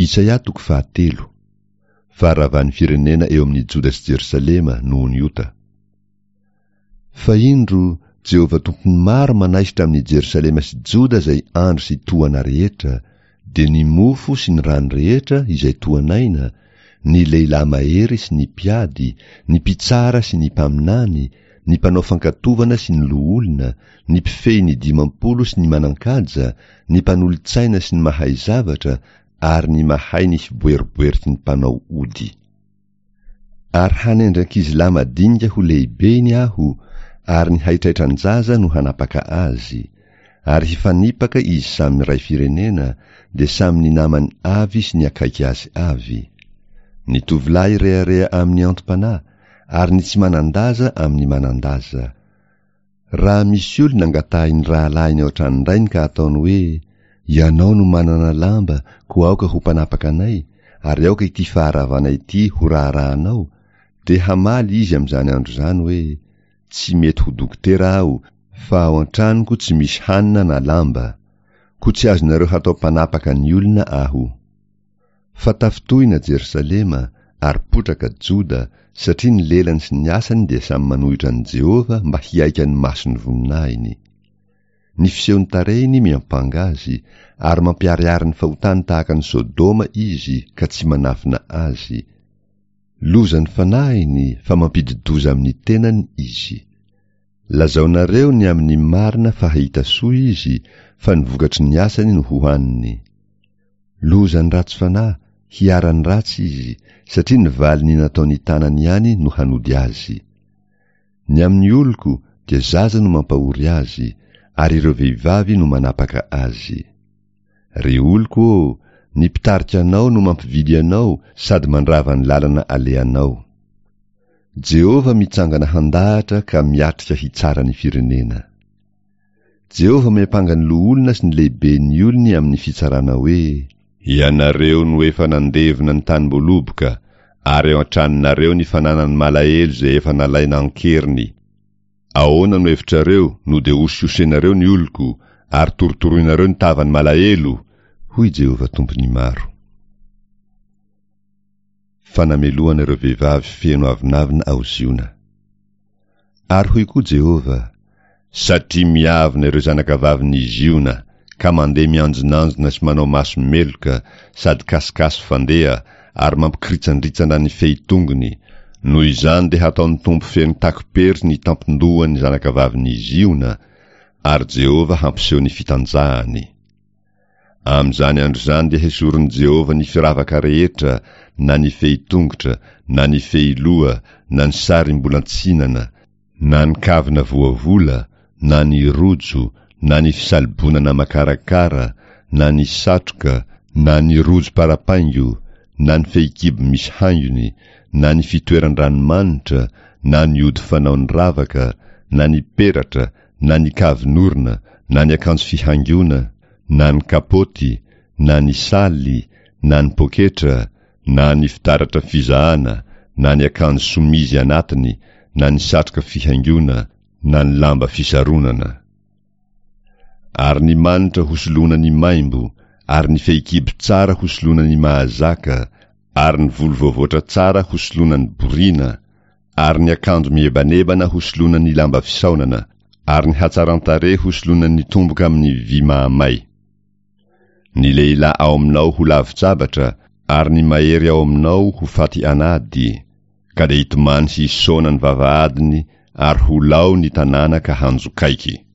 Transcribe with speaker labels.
Speaker 1: Isaia toko fahatelo. Faharavan'ny firenena eo amin'i Joda sy Jerosalema noho ny ota. Fa indro, Jehovah Tompon'ny maro manaisotra amin'i Jerosalema sy Joda izay andro sy tohana rehetra, dia ny mofo sy ny rano rehetra izay tohan'aina, ny lehilahy mahery sy ny mpiady, ny mpitsara sy ny mpaminany, ny mpanao fankatovana sy ny loholona, ny mpifehy ny 50 sy ny manan-kaja, ny mpanolotsaina sy ny mahay zavatra, ary ny mahay ny fiboeriboeriky ny mpanao ody. Ary hanendry ankizilahy madinika ho lehibeny aho, ary ny haitraitran-jaza no hanapaka azy. Ary hifanipaka izy samy iray firenena, dia samy ny namany avy sy ny akaiky azy avy. Ny tovolahy rehareha amin'ny antom-panahy, ary ny tsy manan-daza amin'ny manan-daza. Raha misy olona angatahin'ny rahalahiny ao an-tranon-drainy ka ataony hoe, Ianao no manana lamba, koa aoka ho mpanapaka anay, ary aoka ity faharavana ity ho raharahanao, dia hamaly izy amin'izany andro izany hoe, Tsy mety ho dokotera aho, fa ao an-tranoko tsy misy hanina na lamba, koa tsy azonareo hatao mpanapaka ny olona aho. Fa tafintohina Jerosalema, ary potraka Joda, satria ny lelany sy ny asany dia samy manohitra an'i Jehovah mba hihaika ny mason'ny voninahiny. Ny fisehon'ny tarehiny miampanga azy, ary mampiharihary ny fahotany tahaka an'i Sodoma izy ka tsy manafina azy. Lozan'ny fanahiny fa mampidi-doza amin'ny tenany izy. Lazaonareo ny amin'ny marina fa hahita soa izy, fa ny vokatry ny asany no hohaniny. Lozan'ny ratsy fanahy, hiharan'ny ratsy izy, satria ny valin'ny nataon'ny tanany ihany no hanody azy. Ny amin'ny oloko dia zaza no mampahory azy, ary ireo vehivavy no manapaka azy. Ry oloko ô, ny mpitarika anao no mampividy anao sady mandrava ny lalana alehanao. Jehovah mitsangana handahatra ka miatrika hitsara ny firenena. Jehovah miampanga ny loholona sy ny lehiben'ny olony amin'ny fitsarana hoe. Ianareo no efa nandevona ny tanim-boaloboka, ary ao an-tranonareo ny fananan'ny malahelo izay efa nalaina an-keriny. Ahoana no hevitrareo no dia hosihosenareo ny oloko, ary torotoroinareo ny tavan'ny malahelo? hoy Jehovah Tompon'ny maro. Fanamelohana ireo vehivavy feno avonavona ao Ziona. Ary hoy koa Jehovah, Satria miavona ireo zanakavavin'i Ziona, ka mandeha mianjonanjona sy manao maso meloka sady kasikasy fandeha ary mampikiritsandritsana ny fehi-tongony, noho izany dia hataon'ny Tompo feno takom-pery ny tampon-dohan'ny zanakavavin'i Ziona, ary Jehovah hampiseho ny fitanjahany. Amin'izany andro izany dia hesorin'i Jehovah ny firavaka rehetra, na ny fehi-tongotra, na ny fehiloha, na ny sarimbolan-tsinana, na ny kavina voavola, na ny rojo, na ny fisalobonana makarakara, na ny satroka, na ny rojo parapaingo, na ny fehikibo misy haingony, na ny fitoeran-dranomanitra, na ny ody fanaon'ny ravaka, na ny peratra, na ny kavin'orona, na ny akanjo fihaingoana, na ny kapaoty, na ny saly, na ny poketra, na ny fitaratra fizahana, na ny akanjo somizy anatiny, na ny satroka fihaingoana, na ny lamba fisaronana. Ary ny manitra hosoloana ny maimbo, ary ny fehikibo tsara hosoloana ny mahazaka, ary ny volo voavoatra tsara hosoloana ny boriana, ary ny akanjo mihebanebana hosoloana ny lamba fisaonana, ary ny hatsaran-tarehy hosoloana ny tomboka amin'ny vy mahamay. Ny lehilahy ao aminao ho lavon-tsabatra, ary ny mahery ao aminao ho faty an'ady, ka dia hitomany sy hisaona ny vavahadiny ary ho lao ny tanàna ka hanjokaiky.